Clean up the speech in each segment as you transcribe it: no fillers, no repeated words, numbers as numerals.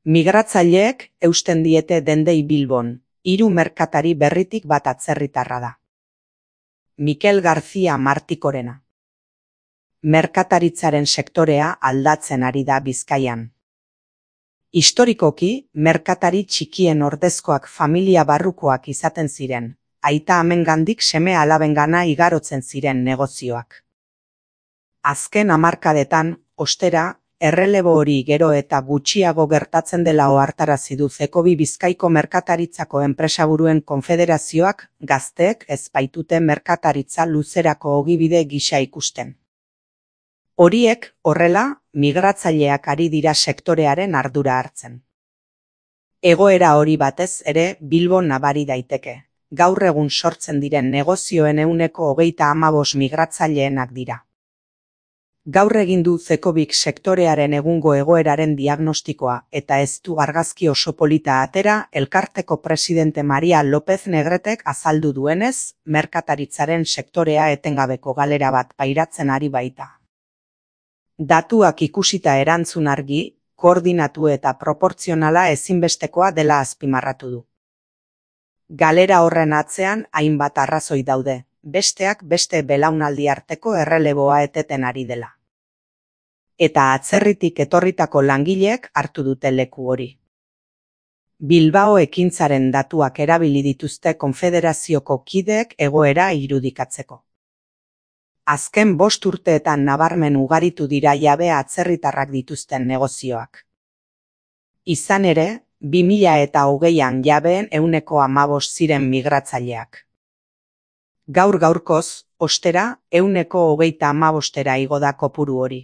Migratzaileek eusten diete dendei Bilbon, 3 merkatari berritik bat atzerritarra da. Mikel García Martikorena. Merkataritzaren sektorea aldatzen ari da Bizkaian. Historikoki, merkatari txikien ordezkoak familia barrukoak izaten ziren, aita amengandik seme alabengana igarotzen ziren negozioak. Azken hamarkadetan, ostera, errelebo hori gero eta gutxiago gertatzen dela ohartarazi du Zekobi Bizkaiko Merkataritzako Enpresaburuen Konfederazioak gazteek ez baitute merkataritza luzerako ogibide gisa ikusten. Horiek, horrela, migratzaileak ari dira sektorearen ardura hartzen. Egoera hori batez ere Bilbon nabari daiteke. Gaur egun sortzen diren negozioen 25% migratzaileenak dira. Gaur egin du Zekobik sektorearen egungo egoeraren diagnostikoa eta ez du argazki oso polita atera elkarteko presidente Maria López Negretek azaldu duenez, merkataritzaren sektorea etengabeko galera bat pairatzen ari baita. Datuak ikusita erantzun argi, koordinatu eta proportzionala ezinbestekoa dela azpimarratu du. Galera horren atzean hainbat arrazoi daude, besteak beste belaunaldi arteko erreleboa eteten ari dela. Eta atzerritik etorritako langileek hartu dute leku hori. Bilbao ekintzaren datuak erabili dituzte konfederazioko kideek egoera irudikatzeko. Azken 5 urteetan nabarmen ugaritu dira jabe atzerritarrak dituzten negozioak. Izan ere, 2020an jabeen 15% ziren migratzaileak. Gaur-gaurkoz, ostera, 135% igo da kopuru hori.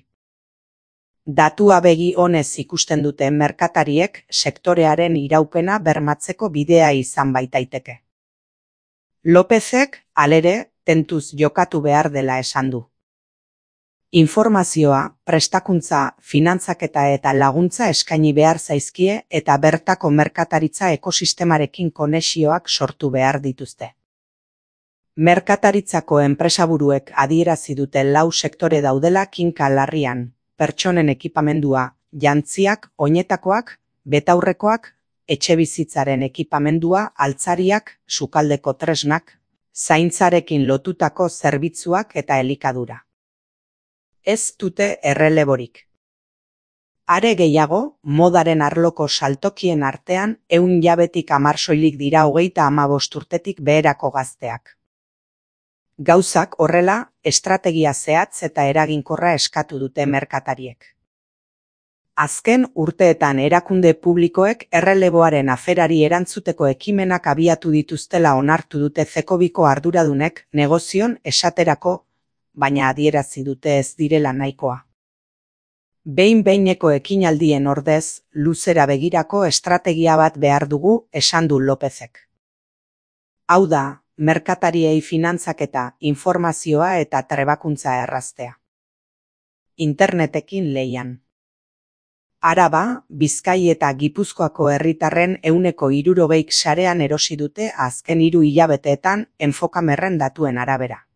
Datua begi onez ikusten dute merkatariek sektorearen iraupena bermatzeko bidea izan baitaiteke. Lópezek, halere, tentuz jokatu behar dela esan du. Informazioa, prestakuntza, finantzaketa eta laguntza eskaini behar zaizkie eta bertako merkataritza ekosistemarekin konexioak sortu behar dituzte. Merkataritzako enpresaburuek adierazi dute 4 sektore daudela kinka larrian, pertsonen ekipamendua, jantziak, oinetakoak, betaurrekoak, etxebizitzaren ekipamendua, altzariak, sukaldeko tresnak, zaintzarekin lotutako zerbitzuak eta elikadura. Ez dute erreleborik. Are gehiago, modaren arloko saltokien artean 100 jabetik 10 soilik dira 35 urtetik beherako gazteak. Gauzak horrela, estrategia zehatz eta eraginkorra eskatu dute merkatariek. Azken urteetan erakunde publikoek erreleboaren aferari erantzuteko ekimenak abiatu dituztela onartu dute Zekobiko arduradunek negozion esaterako, baina adierazi dute ez direla nahikoa. Behin-behineko ekinaldien ordez, luzera begirako estrategia bat behar dugu, esan du Lópezek. Hau da, merkatariei finantzaketa, informazioa eta trebakuntza erraztea. Internetekin lehian. Araba, Bizkai eta Gipuzkoako herritarren 60%k sarean erosi dute azken 3 hilabeteetan Enfokamerren datuen arabera.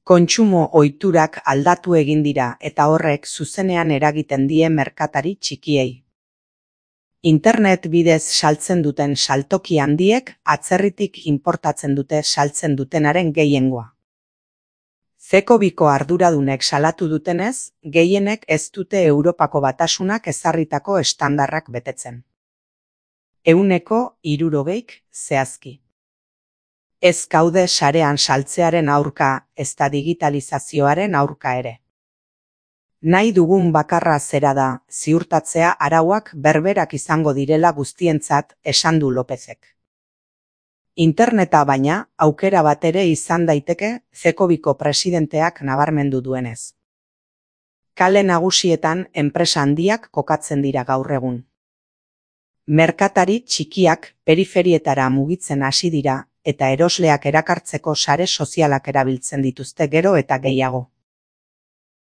Kontsumo ohiturak aldatu egin dira eta horrek zuzenean eragiten die merkatari txikiei. Internet bidez saltzen duten saltoki handiek atzerritik inportatzen dute saltzen dutenaren gehiengoa. Zekobiko arduradunek salatu dutenez, gehienek ez dute Europako Batasunak ezarritako estandarrak betetzen. 60%k zehazki. Ez gaude sarean saltzearen aurka, ezta digitalizazioaren aurka ere. Nahi dugun bakarra zera da, ziurtatzea arauak berberak izango direla guztientzat, esan du Lópezek. Interneta baina, aukera bat ere izan daiteke, Zekobiko presidenteak nabarmendu duenez. Kale nagusietan enpresa handiak kokatzen dira gaur egun. Merkatari txikiak periferietara mugitzen hasi dira, eta erosleak erakartzeko sare sozialak erabiltzen dituzte gero eta gehiago.